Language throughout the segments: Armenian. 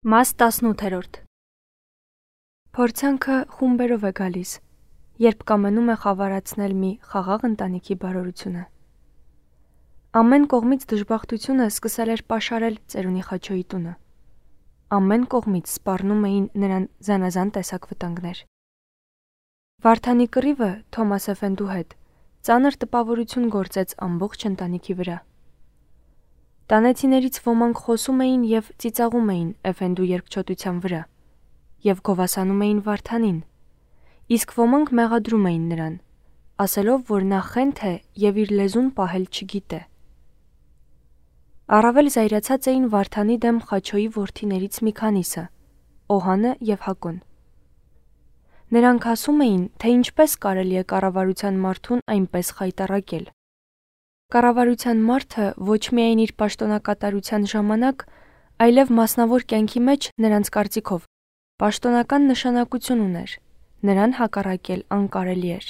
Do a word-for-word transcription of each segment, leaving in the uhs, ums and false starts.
Մաս տասնութերորդ Փորձանքը խումբերով է գալիս, երբ կամենում է խավարացնել մի խաղաղ ընտանիքի բարօրությունը։ Ամեն կողմից դժբախտությունը սկսել էր պաշարել ծերունի Խաչոյի տունը։ Ամեն կողմից սպառնում էին նրան զանազան տեսակ վտանգներ։ Վարդանի կռիվը Թոմաս Էֆենդու հետ ծանր տպավորություն գործեց ամբողջ ընտանիքի վրա։ Տանեցիներից ոմանք խոսում էին և ծիծաղում էին Էֆենդու երկչոտության վրա և գովասանում էին Վարդանին, իսկ ոմանք մեղադրում էին նրան, ասելով, որ նա խենթ է և իր լեզուն պահել չգիտե։ Առավել զայրացած էին Վարդանի դեմ Խաչոյի որդիներից մի քանիսը՝ Օհանը և Հակոն։ Նրանք ասում էին, թե ինչպես կարելի է կառավարության մարդուն այնպես խայտառակել։ Կառավարության մարդը ոչ միայն իր պաշտոնակատարության ժամանակ, այլև մասնավոր կյանքի մեջ նրանց կարծիքով պաշտոնական նշանակություն ուներ, նրան հակառակել անկարելի էր։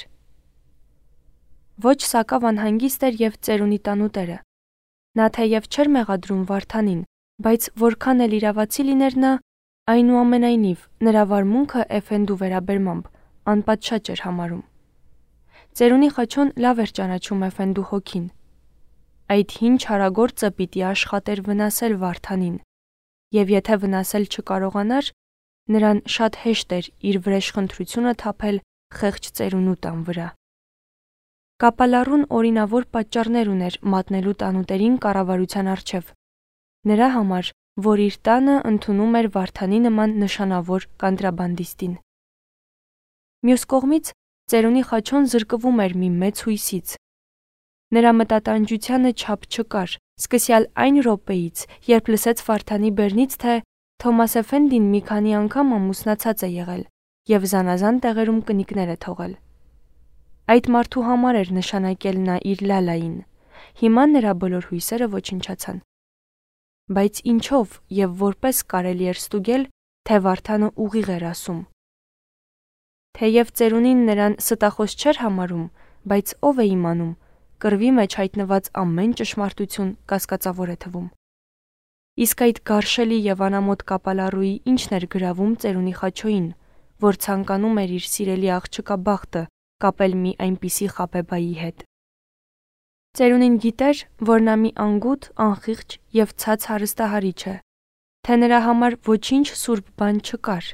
Ոչ Սակավ անհանգիստ էր և ծերունի տանուտերը։ Նա թեև չէր մեղադրում Վարդանին, բայց որքան էլ իրավացի լիներ նա, այնուամենայնիվ նրա վարմունքը Էֆենդու վերաբերմամբ անպատշաճ էր համարում։ Ծերունի Խաչոն լավ էր ճանաչում Էֆենդու հոգին։ Այդ հին չարագործը պիտի աշխատեր վնասել Վարդանին, և եթե վնասել չկարողանար, նրան շատ հեշտ էր իր վրեժխնդրությունը թափել խեղճ ծերունու տան վրա։ Կապալառուն օրինավոր պատճառներ ուներ մատնելու տանուտերին կառավարության առջև, նրա համար, որ իր տանը ընդունում էր Վարդանի նման նշանավոր կոնտրաբանդիստին։ Մյուս կողմից ծերունի Խաչոն զրկվում էր մի մեծ հույսից։ Նրա մտատանջությանը չափ չկար, սկսյալ այն րոպեից, երբ լսեց Վարդանի բեռնից, թե Թոմաս Էֆենդին մի քանի անգամ ամուսնացած է եղել և զանազան տեղերում կնիկներ է թողել։ Այդ մարդու համար էր նշանակել նա իր Լալային, հիմա նրա բոլոր հույսերը ոչնչացան։ Բայց ինչով և որպես կարելի էր ստուգել, թե Վարդանը ուղիղ էր ասում։ Թեև ծերունին նրան ստախոս չէր համարում, բայց ով է իմանում, կռվի մեջ հայտնված ամեն ճշմարտություն կասկածավոր է թվում։ Իսկ այդ գարշելի և անամոթ կապալառուի ինչն էր գրավում ծերունի Խաչոյին, որ ցանկանում էր իր սիրելի աղջկա բախտը կապել մի այնպիսի խաբեբայի հետ։ Ծերունին գիտեր, որ նա մի անգութ, անխիղճ և ցած հարստահարիչ է, թե նրա համար ոչինչ սուրբ բան չկար,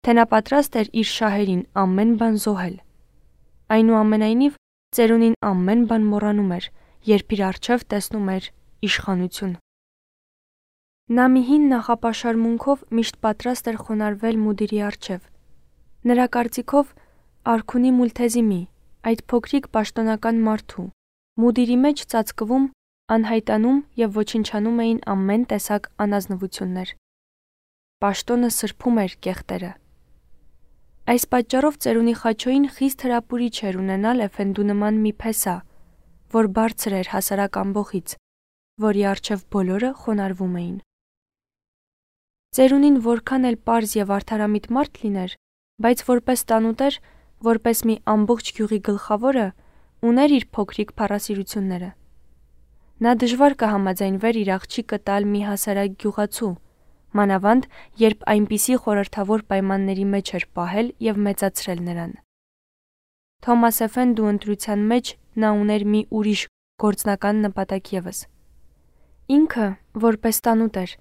թե նա պատրաստ էր իր շահերին ամեն բան զոհել։ Այնուամենայնիվ ծերունին ամեն բան մոռանում էր, երբ իր առջև տեսնում էր իշխանություն։ Նա մի հին նախապաշարմունքով միշտ պատրաստ էր խոնարհվել մուդիրի առջև։ Նրա կարծիքով արքունի Մուլթեզիմի, այդ փոքրիկ պաշտոնական մարդու, մուդիրի մեջ ծածկվում, անհայտանում և ոչնչանում էին ամեն տեսակ անազնվություններ։ Պաշտոնը սրբում էր կեղտերը։ Այս պատճառով ծերունի Խաչոյին խիստ հրապուրիչ էր ունենալ Էֆենդու նման մի փեսա, որ բարձր էր հասարակ ամբոխից, որի առջև բոլորը խոնարհվում էին։ Ծերունին որքան էլ պարզ և արդարամիտ մարդ լիներ, բայց որպես տանուտեր, որպես մի ամբողջ գյուղի գլխավորը, ուներ իր փոքրիկ փառասիրությունները։ Նա դժվար կհամաձայնվեր իր աղջիկը տալ մի հասարակ գյուղացու, մանավանդ երբ այնպիսի խորհրդավոր պայմանների մեջ էր պահել և մեծացրել նրան։ Թոմաս Էֆենդու ընտրության մեջ նա ուներ մի ուրիշ գործնական նպատակ ևս։ Ինքը, որպես տանուտեր,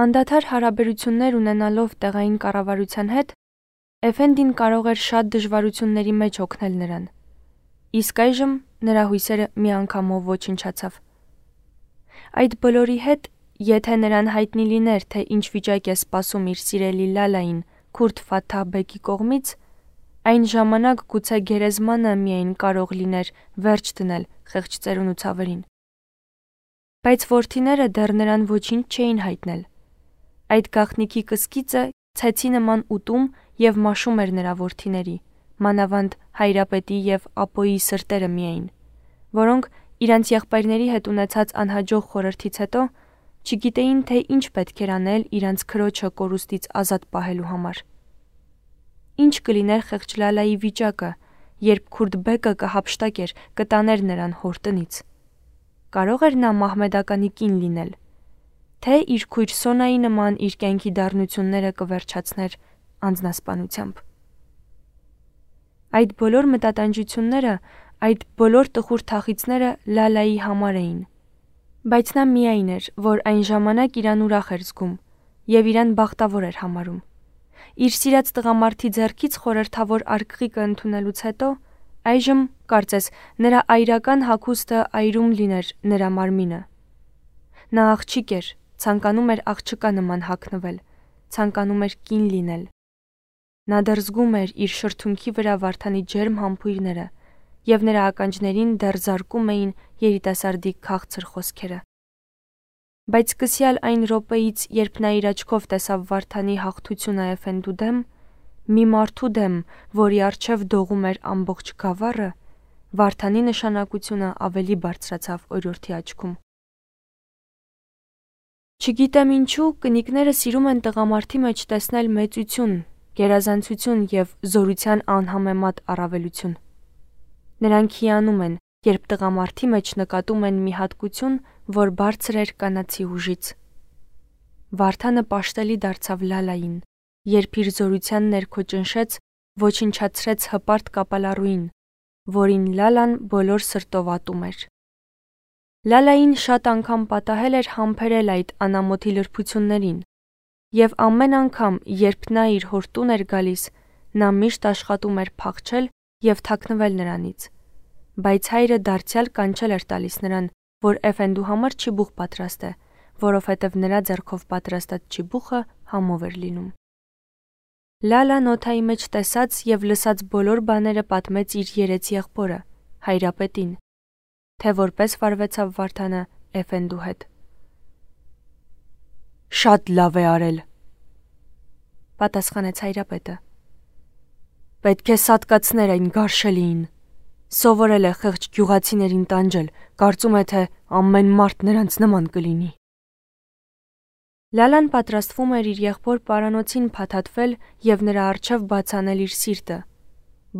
անդադար հարաբերություններ ունենալով տեղային կառավարության հետ, Էֆենդին կարող էր շատ դժվարությունների մեջ օգնել նրան։ Իսկ այժմ նրա հույսերը միանգամով ոչնչացավ։ Այդ բոլորի հետ, եթե նրան հայտնի լիներ, թե ինչ վիճակ է սպասում իր սիրելի Լալային Քուրդ Ֆաթահ բեկի կողմից, այն ժամանակ գուցե գերեզմանը միայն կարող լիներ վերջ դնել խեղճ ծերունու ցավերին։ Բայց որդիները դեռ նրան ոչինչ չէին հայտնել։ Այդ գաղտնիքի կսկիծը ցեցի նման ուտում և մաշում էր նրա որդիների, մանավանդ Հայրապետի և Ապոյի սրտերը միայն, որոնք իրանց եղբայրների հետ ունեցած անհաջող խորհրդից հետո չգիտեին, թե ինչ պետք էր անել իրանց քրոջը կորուստից ազատ պահելու համար։ Ինչ կլիներ խեղճ Լալայի վիճակը, երբ Քուրդ բեկը կհափշտակեր, կտաներ նրան հոր տնից։ Կարո՞ղ էր նա մահմեդականի կին լինել։ թե իր քույր Սոնայի նման իր կյանքի դառնությունները կվերջացներ անձնասպանությամբ։ Այդ բոլոր մտատանջությունները, այդ բոլոր տխուր թախիծները Լալայի համար էին, բայց նա միայն էր, որ այն ժամանակ իրան ուրախ էր զգում և իրան բախտավոր էր համարում։ Իր սիրած տղամարդի ձեռքից խորհրդավոր արկղիկը ընդունելուց հետո այժմ, կարծես, նրա այրական հագուստը այրում լիներ նրա մարմինը։ Նա աղջիկ էր, ցանկանում էր աղջկա նման հագնվել, ցանկանում էր կին լինել։ Նա դեռ զգում էր իր շրթունքի վրա Վարդանի ջերմ համբույրները և նրա ականջներին դեռ զարկում էին երիտասարդի քաղցր խոսքերը։ Բայց սկսյալ այն րոպեից, երբ նա իր աչքով տեսավ Վարդանի հաղթությունը Էֆենդու դեմ, մի մարդու դեմ, որի առջև դողում էր ամբողջ գավառը, Վարդանի նշանակությունը ավելի բարձրացավ օրիորդի աչքում։ Չգիտեմ ինչու, կնիկները սիրում են տղամարդի մեջ տեսնել մեծություն, գերազանցություն և զորության անհամեմատ առավելություն։ Նրանք հիանում են, երբ տղամարդի մեջ նկատում են մի հատկություն, որ բարձր էր կանացի ուժից։ Վարդանը պաշտելի դարձավ Լալային, երբ իր զորության ներքո ճնշեց, ոչնչացրեց հպարտ կապալառուին, որին Լալան բոլոր սրտով ատում էր։ Լալային շատ անգամ պատահել էր համբերել այդ անամոթի լրբություններին, և ամեն անգամ, երբ նա իր հոր տուն էր գալիս, նա միշտ աշխատում էր փախչել և թաքնվել նրանից, բայց հայրը դարձյալ կանչել էր տալիս նրան, որ Էֆենդու համար չիբուխ պատրաստե, որովհետև նրա ձեռքով պատրաստած չիբուխը համով էր լինում։ Լալան օդայի մեջ տեսած և լսած բոլոր բաները պատմեց իր երեց եղբորը, Հայրապետին, թե որպես վարվեցավ Վարդանը Էֆենդու հետ։ «Շատ լավ է արել», պատասխանեց Հայրապետը։ «Պետք է սատկացներ այն գարշելիին։ Սովորել է խեղճ գյուղացիներին տանջել, կարծում է, թե ամեն մարդ նրանց նման կլինի»։ Լալան պատրաստվում էր իր եղբոր պարանոցին փաթաթվել և նրա առջև բաց անել իր սիրտը,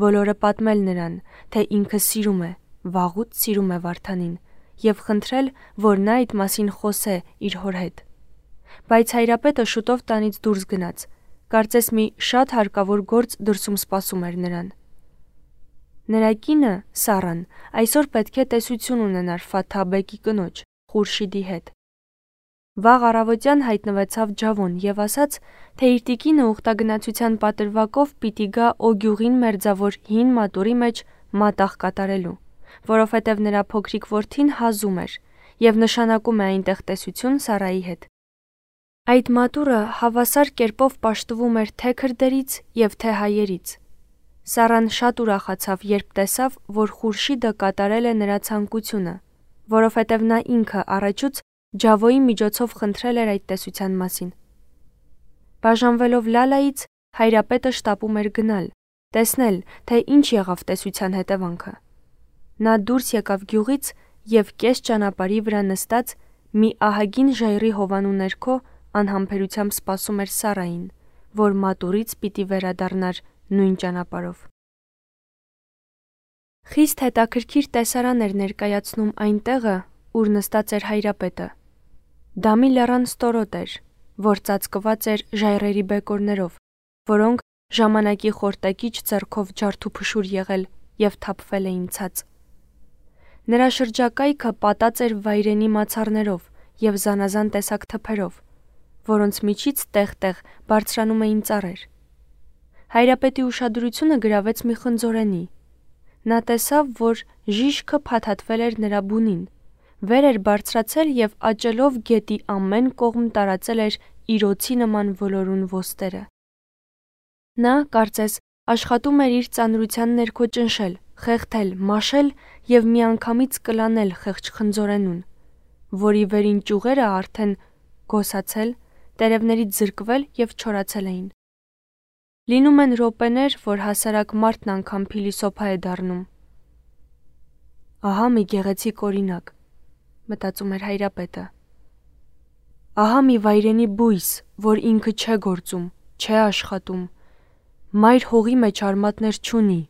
բոլորը պատմել նրան, թե ինքը սիրում է, վաղուց սիրում է Վարդանին, և խնդրել, որ նա այդ մասին խոսե իր հոր հետ։ Բայց Հայրապետը շուտով տանից դուրս գնաց, կարծես մի շատ հարկավոր գործ դրսում սպասում էր նրան։ Նրա կինը՝ Սառան, այսօր պետք է տեսություն ունենար Ֆաթհ բեկի կնոջ՝ Խուրշիդի հետ։ Վաղ առավոտյան հայտնվեցավ Ջավոն և ասաց, թե իր տիկինը ուխտագնացության պատրվակով պիտի գա Օգյուղին մերձավոր հին մատուռի մեջ մատաղ կատարելու, որովհետև նրա փոքրիկ որդին հազում էր և նշանակում է այնտեղ տեսություն Սառայի հետ։ Այդ մատուռը հավասար կերպով պաշտվում էր թե քրդերից և թե հայերից։ Սառան շատ ուրախացավ, երբ տեսավ, որ Խուրշիդը կատարել է նրա ցանկությունը, որովհետև նա ինքը առաջուց Ջավոյի միջոցով խնդրել էր այդ տեսության մասին։ Բաժանվելով Լալայից, Հայրապետը շտապում էր գնալ, տեսնել, թե ինչ եղավ տեսության հետևանքը։ Նա դուրս եկավ գյուղից և կես ճանապարհի վրա նստած մի ահագին ժայռի հովանու ներքո անհամբերությամբ սպասում էր Սառային, որ մատուռից պիտի վերադառնար նույն ճանապարհով։ Խիստ հետաքրքիր տեսարան էր ներկայացնում այն տեղը, ուր նստած էր Հայրապետը։ Դա մի լեռան ստորոտ էր, որ ծածկված էր ժայռերի բեկորներով, որոնք ժամանակի խորտակիչ ձեռքով ջարդուփշուր եղել և թափվել էին ցած։ Նրա շրջակայքը պատած էր վայրենի մացառներով և զանազան տեսակ թփերով, որոնց միջից տեղ-տեղ բարձրանում էին ծառեր։ Հայրապետի ուշադրությունը գրավեց մի խնձորենի։ Նա տեսավ, որ ժիշքը փաթաթվել էր նրա բունին, վեր էր բարձրացել և աճելով գետի ամեն կողմ տարածել էր իր օձի նման ոլորուն ոստերը։ Նա, կարծես, աշխատում էր իր ծանրության ներքո ճնշել, խեղդել, մաշել և միանգամից կլանել խեղճ խնձորենուն, որի վերին ճյուղերը արդեն գոսացել, տերևներից զրկվել և չորացել էին։ Լինում են րոպեներ, որ հասարակ մարդն անգամ փիլիսոփա է դառնում։ Ահա մի գեղեցիկ օրինակ, մտածում էր Հայրապետը։ Ահա մի վայրենի բույս, որ ինքը չէ գործում, չէ աշխատում, մայր հողի մեջ արմատներ չունի,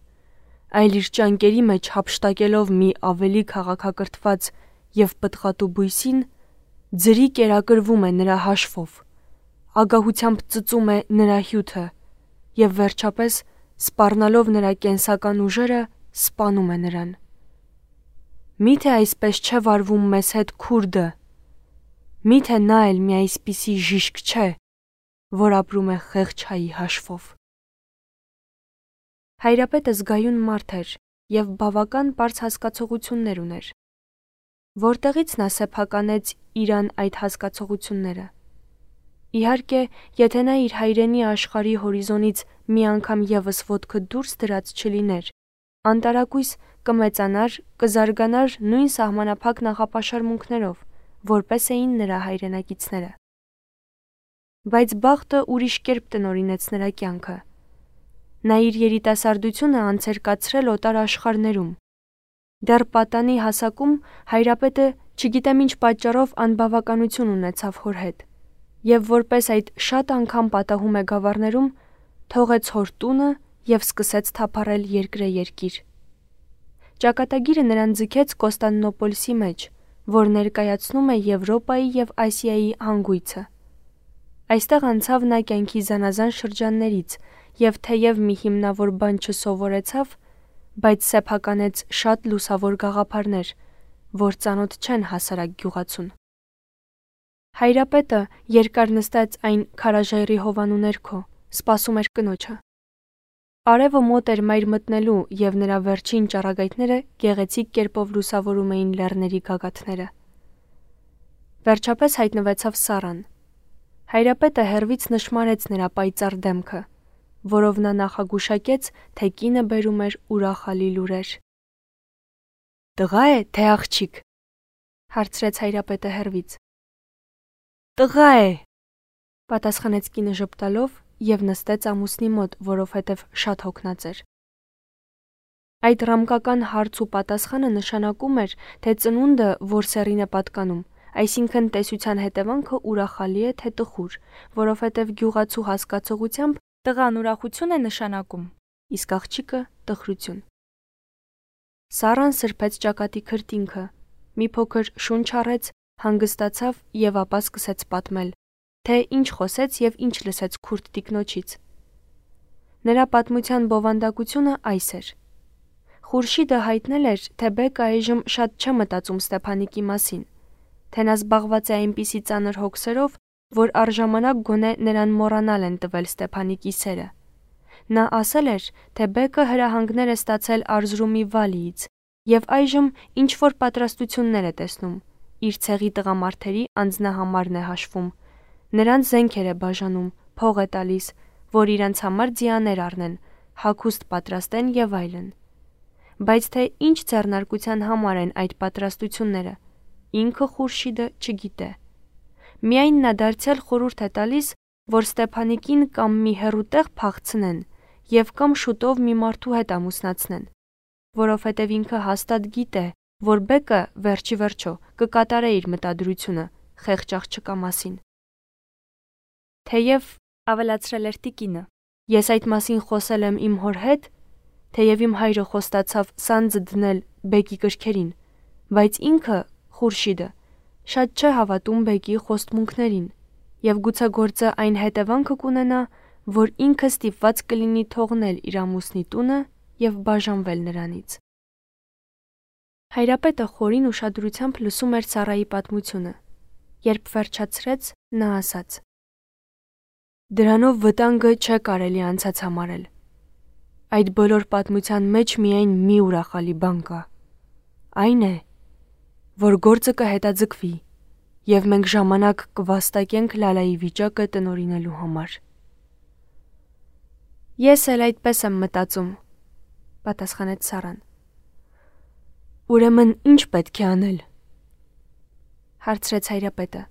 այլ իր ճանկերի մեջ հափշտակելով մի ավելի քաղաքակրթված և պտղատու բույսին, Ձրի կերակրվում է նրա հաշվով, ագահությամբ ծծում է նրա հյութը և վերջապես, սպառնալով նրա կենսական ուժերը, սպանում է նրան։ Միթե այսպես չէ վարվում մեզ հետ քուրդը, միթե նա էլ մի այսպիսի ժիշկ չէ, որ ապրում է խեղճ հայի հաշվով։ Հայրապետը զգայուն մարդ էր և բավական պարզ հասկացողություններ ուներ։ Որտեղից նա սեփականեց իրան այդ հասկացողությունները։ Իհարկե, եթե նա իր հայրենի աշխարհի հորիզոնից մի անգամ ևս ոտքը դուրս դրած չլիներ, անտարակույս կմեծանար, կզարգանար նույն սահմանափակ նախապաշարմունքներով, որպես էին նրա հայրենակիցները։ Բայց բախտը ուրիշ կերպ տնօրինեց նրա կյանքը։ Նա իր երիտասարդությունը անց էր կացրել օտար աշխարհներում։ Դեռ պատանի հասակում հայրապետը չգիտեմ ինչ պատճառով անբավականություն ունեցավ հոր հետ, և որպես այդ շատ անգամ պատահում է գավառներում, թողեց հոր տունը և սկսեց թափառել երկրեերկիր։ Ճակատագիրը նրան ձգեց Կոստանդնուպոլսի մեջ, որ ներկայացնում է Եվրոպայի և Ասիայի հանգույցը։ Այստեղ անցավ նա կյանքի զանազան շրջաններից և թեև մի հիմնավոր բան չսովորեցավ, բայց սեփականեց շատ լուսավոր գաղափարներ, որ ծանոթ չեն հասարակ գյուղացուն։ Հայրապետը երկար նստած այն քարաժայռի հովանու ներքո սպասում էր կնոջը։ Արևը մոտ էր մայր մտնելու և նրա վերջին ճառագայթները գեղեցիկ կերպով լուսավորում էին լեռների գագաթները։ Վերջապես հայտնվեցավ Սառան։ Հայրապետը հեռվից նշմարեց նրա պայծառ դեմքը, որով նա նախագուշակեց, թե կինը բերում էր ուրախալի լուրեր։ «Տղա է, թե աղջիկ», հարցրեց հայրապետը հեռվից։ «Տղա է», պատասխանեց կինը ժպտալով և նստեց ամուսնի մոտ, որովհետև շատ հոգնած էր։ Այդ ռամկական հարց ու պատասխանը նշանակում էր, թե ծնունդը, որ սեռին է պատկանում, այսինքն տեսության հետևանքը ուրախալի է, թե տխուր, որովհետև գյուղացու հասկացողությամբ տղան ուրախություն է նշանակում, իսկ աղջիկը տխրություն։ Սառան սրբեց ճակատի քրտինքը, մի փոքր շունչ առեց, հանգստացավ և ապա սկսեց պատմել, թե ինչ խոսեց և ինչ լսեց քուրդ տիկնոջից։ Նրա պատմության բովանդակությունը այս էր. Խուրշիդը հայտնել էր, թե Բեկը այժմ շատ չէ մտածում Ստեփանիկի մասին, թե նա զբաղված է այնպիսի ծանր հոգսերով, որ առժամանակ գոնե նրան մոռանալ են տվել Ստեփանիկի սերը։ Նա ասել էր, թե Բեկը հրահանգներ է ստացել Արզրումի Վալիից և այժմ ինչ-որ պատրաստություններ է տեսնում, իր ցեղի տղամարդերի անձնահամարն է հաշվում, նրանց զենքեր է բաժանում, փող է տալիս, որ իրենց համար ձիաներ առնեն, հագուստ պատրաստեն և այլն։ Բայց թե ինչ ձեռնարկության համար են այդ պատրաստությունները, ինքը Խուրշիդը չգիտե։ Միայն նա դարձյալ խորհուրդ է տալիս, որ Ստեփանիկին կամ մի հեռու տեղ փախցնեն և կամ շուտով մի մարդու հետ ամուսնացնեն, որովհետև ինքը հաստատ գիտե, որ Բեկը վերջի վերջո կկատարե իր մտադրությունը խեղճ աղջկա մասին։ Թեև, ավելացրել էր տիկինը, ես այդ մասին խոսել եմ իմ հոր հետ, թեև իմ հայրը խոստացավ սանձը դնել Բեկի կրքերին, բայց ինքը, Խուրշիդը, շատ չէ հավատում Բեկի խոստմունքներին և գուցե գործը այն հետևանքը կունենա, որ ինքը ստիպված կլինի թողնել իր ամուսնի տունը և բաժանվել նրանից։ Հայրապետը խորին ուշադրությամբ լսում էր Սառայի պատմությունը, երբ վերջացրեց, նա ասաց. Դրանով վտանգը չէ կարելի անցած համարել։ Այդ բոլոր պատմության մեջ միայն մի ուրախալի բան կա։ Այն է, որ գործը կհետաձգվի և մենք ժամանակ կվաստակենք Լալայի վիճակը տնօրինելու համար։ Ես էլ այդպես եմ մտածում, պատասխանեց Սառան։ Ուրեմն ինչ պետք է անել, հարցրեց հայրապետը։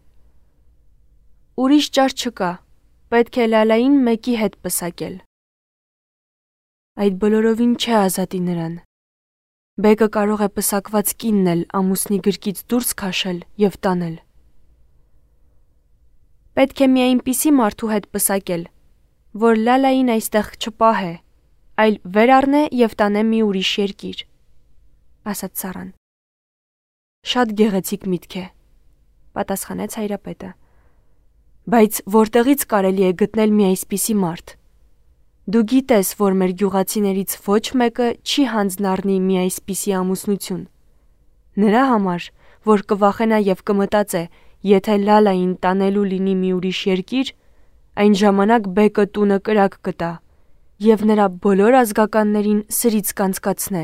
Ուրիշ ճար չկա, պետք է Լալային մեկի հետ պսակել։ Այդ բոլորովին չէ ազատի նրան։ Բեկը կարող է պսակված կինն էլ ամուսնի գրկից դուրս քաշել և տանել։ Պետք է մի այնպիսի մարդու հետ պսակել, որ Լալային այստեղ չպահե, այլ վեր առնե և տանե մի ուրիշ երկիր, ասաց Սառան։ Շատ գեղեցիկ միտք է։ պատասխանեց Հայրապետը։ Բայց որտեղից կարելի է գտնել մի այսպիսի մարդ։ Դու գիտես, որ մեր գյուղացիներից ոչ մեկը չի հանձնառնի մի այսպիսի ամուսնություն։ Նրա համար, որ կվախենա եւ կմտածե, եթե Լալային տանելու լինի մի ուրիշ երկիր, այն ժամանակ բեկը տունը կրակ կտա եւ նրա բոլոր ազգականներին սրից կանցկացնե։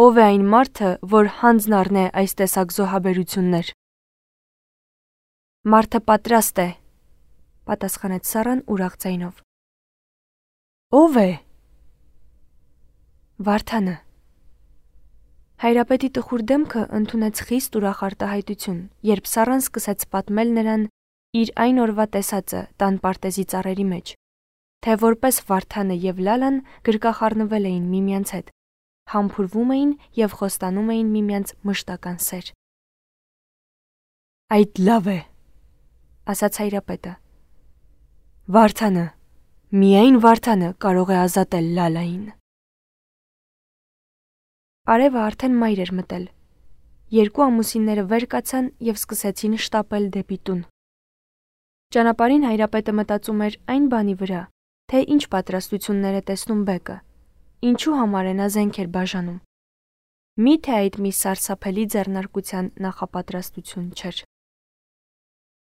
Ով է այն մարդը, որ հանձնառնե այս տեսակ զոհաբերություններ։ Մարդը պատրաստ է, պատասխանեց Սառան ուրախ ձայնով։ Ով է։ Վարդանը։ Հայրապետի տխուր դեմքը ընդունեց խիստ ուրախ արտահայտություն, երբ Սառան սկսեց պատմել նրան իր այն օրվա տեսածը տան պարտեզի ծառերի մեջ, թե որպես Վարդանը եւ Լալան գրկախառնվել էին միմյանց հետ, համբուրվում էին եւ խոստանում էին միմյանց մշտական սեր։ Այդ լավ է, ասաց Հայրապետը։ Վարդանը, միայն Վարդանը կարող է ազատել Լալային։ Արևը արդեն մայր էր մտել։ Երկու ամուսինները վեր կացան եւ սկսեցին շտապել դեպի տուն։ Ճանապարհին Հայրապետը մտածում էր այն բանի վրա, թե ինչ պատրաստություններ է տեսնում բեկը, ինչու համար է նա զենքեր բաժանում։ Միթե այդ մի սարսափելի ձեռնարկության նախապատրաստություն չէր։